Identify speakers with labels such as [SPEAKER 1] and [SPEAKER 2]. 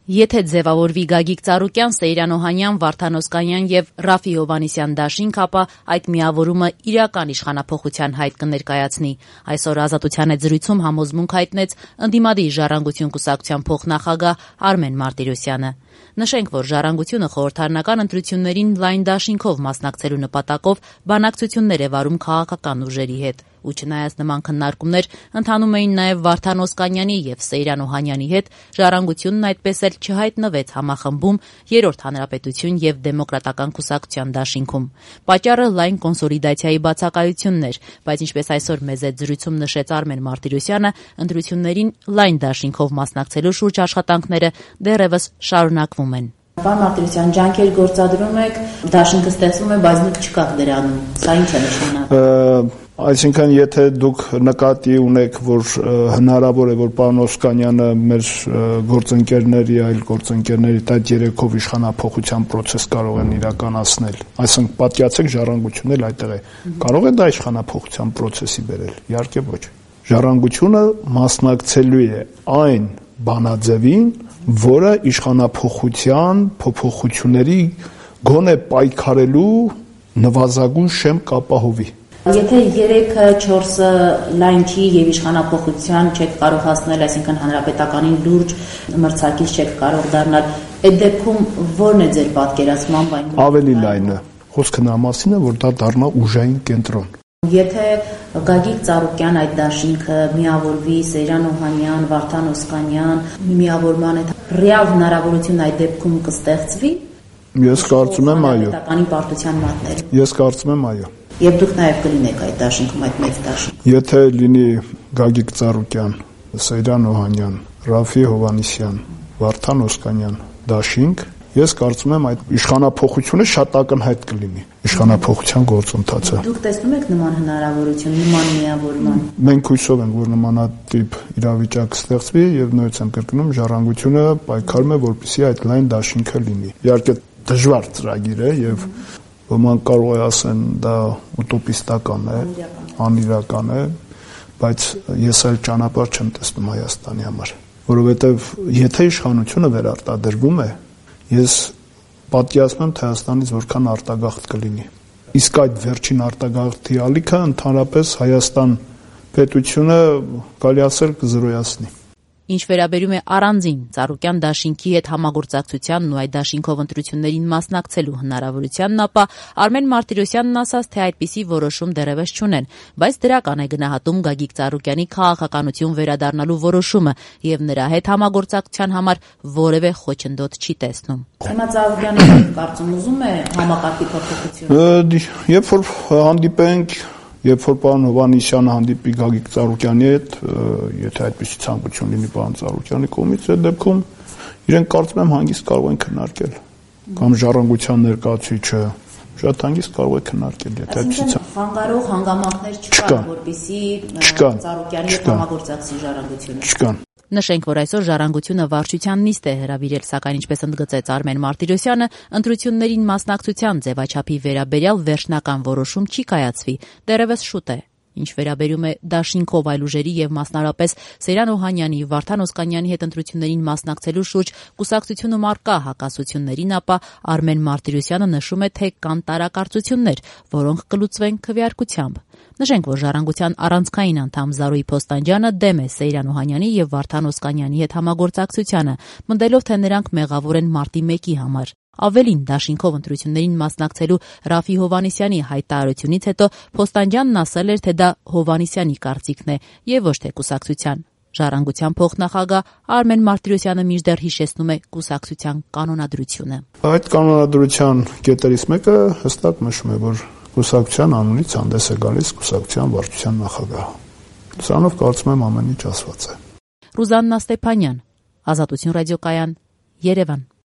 [SPEAKER 1] Եթե ձևավորվի Գագիկ Ծառուկյան, Սեյրան Օհանյան, Վարդան Օսկանյան եւ Ռաֆի Հովհաննիսյան դաշինք, ապա այդ միավորումը իրական իշխանափոխության հայտ կներկայացնի։ Այսօր Ազատության հետ զրույցում համոզմունք հայտնեց ընդդիմադիր Ժառանգություն կուսակցության փոխնախագահ Արմեն Մարտիրոսյանը։ Նշենք, որ Ժառանգությունը խորհրդարանական ընտրություններին լայն դաշինքով մասնակցելու նպատակով բանակցություններ է վարում քաղաքական ուժերի հետ։ Ու չնայած նման քննարկումներ ընթանում էին նաև Վարդան Օսկանյանի եւ Սեյրան Օհանյանի հետ, Ժառանգությունն այդպես էլ չհայտնվեց համախմբում Երրորդ հանրապետություն եւ Դեմոկրատական կուսակցության դաշինքում։ Պատճառը լայն կոնսոլիդացիայի բացակայությունն էր, բայց ինչպես այսօր մեզ այդ զրույցում նշեց Արմեն Մարտիրոսյանը, ընտրություններին լայն դաշինքով մասնակցելու շուրջ աշխատանքները դեռևս շարունակվում են։
[SPEAKER 2] Պարոն Մարտիրոսյան, ջանքեր գործադրում եք, դաշինքը ստեղծվում է, բայց դուք չկաք դրանում։ Սա ինչ է նշանակում։
[SPEAKER 3] Այսինքն, եթե դուք նկատի ունեք, որ հնարավոր է, որ պարոն Օսկանյանը մեր գործընկերների, այլ գործընկերների այդ երեքով իշխանափոխության process կարող են իրականացնել, այսինքն պատկերացեք Ժառանգությունն էլ այդտեղ է, կարող է դա իշխանափոխության process-ի բերել, իհարկե ոչ։ Ժառանգությունը մասնակցելու է այն բանաձևին, որը իշխանափոխության փոփոխությունների գոնե պայքարելու նվազագույն շեմ կապահովի։
[SPEAKER 2] Եթե 3-4-ը լայն չի եւ իշխանափոխության չեք կարող հասնել, այսինքն հանրապետականին լուրջ մրցակից չեք կարող դառնալ, այդ դեպքում ո՞րն է ձեր պատկերացմամբ այն։
[SPEAKER 3] Ավելի լայնը։ Խոսքը նա մասին է, որ դա դառնա ուժային կենտրոն։
[SPEAKER 2] Եթե Գագիկ Ծառուկյան այդ դաշինքը միավորվի, Սեյրան Օհանյան, Վարդան Օսկանյան միավորման հետ, ռեալ հնարավորություն այդ դեպքում կստեղծվի։
[SPEAKER 3] Ես կարծում եմ այո։
[SPEAKER 2] Հանրապետականի պարտության մատներ։
[SPEAKER 3] Ես կարծում եմ այո։
[SPEAKER 2] Եվ դուք նաև կլինեք այդ դաշինքում, այդ մեծ դաշինքում։
[SPEAKER 3] Եթե լինի Գագիկ Ծառուկյան, Սեյրան Օհանյան, Ռաֆի Հովհաննիսյան, Վարդան Օսկանյան դաշինք, ես կարծում եմ այդ իշխանափոխությունը շատ ակնհայտ կլինի, իշխանափոխության գործընթացը։
[SPEAKER 2] Դուք տեսնում եք նման հնարավորություն, նման միավորման։
[SPEAKER 3] Մենք հույսով ենք, որ նմանատիպ իրավիճակ ստեղծվի եւ նույնպես եմ կրկնում, Ժառանգությունը պայքարում է, որպեսզի այդ լայն դաշինքը լինի։ Իհարկե դժվար ծրագիր է եւ ոմանք կարող է ասեն դա ուտոպիստական է, անիրական է, բայց ես այլ ճանապարհ չեմ տեսնում Հայաստանի համար, որովհետև եթե իշխանությունը վերարտադրվում է, ես պատկերացնում եմ, թե Հայաստանից որքան արտագաղթ կլինի։ Իսկ այդ վերջին արտագաղթի ալիքը ընդհանրապես Հայաստան պետությունը կարելի ասել կզրոյացնի։
[SPEAKER 1] Ինչ վերաբերում է առանձին Ծառուկյան դաշինքի հետ համագործակցությանն ու այդ դաշինքով ընտրություններին մասնակցելու հնարավորությանն, ապա Արմեն Մարտիրոսյանն ասաց, թե այդպիսի որոշում դեռևս չունեն, բայց դրական է գնահատում Գագիկ Ծառուկյանի քաղաքականություն վերադառնալու որոշումը եւ նրա հետ համագործակցության համար որևէ խոչընդոտ չի տեսնում։
[SPEAKER 2] Հիմա Ծառուկյանը կարծում ուզում է համակարգի փոփոխություն։
[SPEAKER 3] Երբ որ հանդիպենք, երբ որ պարոն Հովհաննիսյանը հանդիպի Գագիկ Ծառուկյանի հետ, եթե այդպիսի ցանկություն լինի պարոն Ծառուկյանի կողմից, այդ դեպքում իրենք կարծում եմ հանգիստ կարող են քննարկել, կամ Ժառանգության ներկայացուցիչը շատ հանգիստ կարող է քննարկել, եթե այդպիսի
[SPEAKER 2] խանգարող հանգամանքներ չկան, որպեսզի Ծառուկյանի հետ համագործակցի Ժառանգությունը։
[SPEAKER 3] Չկան։
[SPEAKER 1] Նշենք, որ այսօր Ժառանգությունը վարչության նիստ է հրավիրել, սակայն ինչպես ընդգծեց Արմեն Մարտիրոսյանը, ընտրություններին մասնակցության ձևաչափի վերաբերյալ վերջնական որոշում չի կայացվի, դեռևս շուտ է։ Ինչ վերաբերում է դաշինքով այլ ուժերի եւ մասնարարապես Սեյրան Օհանյանի, Վարդան Օսկանյանի հետ ընտրություններին մասնակցելու շուրջ կուսակցությունում առկա հակասություններին, ապա Արմեն Մարտիրոսյանը նշում է, թե կան տարակարծություններ, որոնք կլուծվեն քվեարկությամբ։ Նշենք, որ Ժառանգության առանցքային անդամ Զարուհի Փոստանջյանը դեմ է Սեյրան Օհանյանի եւ Վարդան Օսկանյանի հետ համագործակցությանը, մտելով, թե նրանք մեղավոր են մարտի 1-ի համար։ Ավելին, դաշինքով ընտրություններին մասնակցելու Ռաֆի Հովհաննիսյանի հայտարարությունից հետո Փոստանջյանն ասել էր, թե դա Հովհաննիսյանի կարծիքն է եւ ոչ թե կուսակցության։ Ժառանգության փոխնախագահ Արմեն Մարտիրոսյանը մինչդեռ հիշեցնում է կուսակցության կանոնադրությունը։
[SPEAKER 3] Այդ կանոնադրության կետերից մեկը հստակ նշում է, որ կուսակցության անունից հանդես է գալիս կուսակցության վարչության նախագահը։ Սրանով կարծում եմ ամեն ինչ ասված է։
[SPEAKER 1] Ռուզաննա Ստեփանյան, Ազատություն ռադիոկայան, Երևան։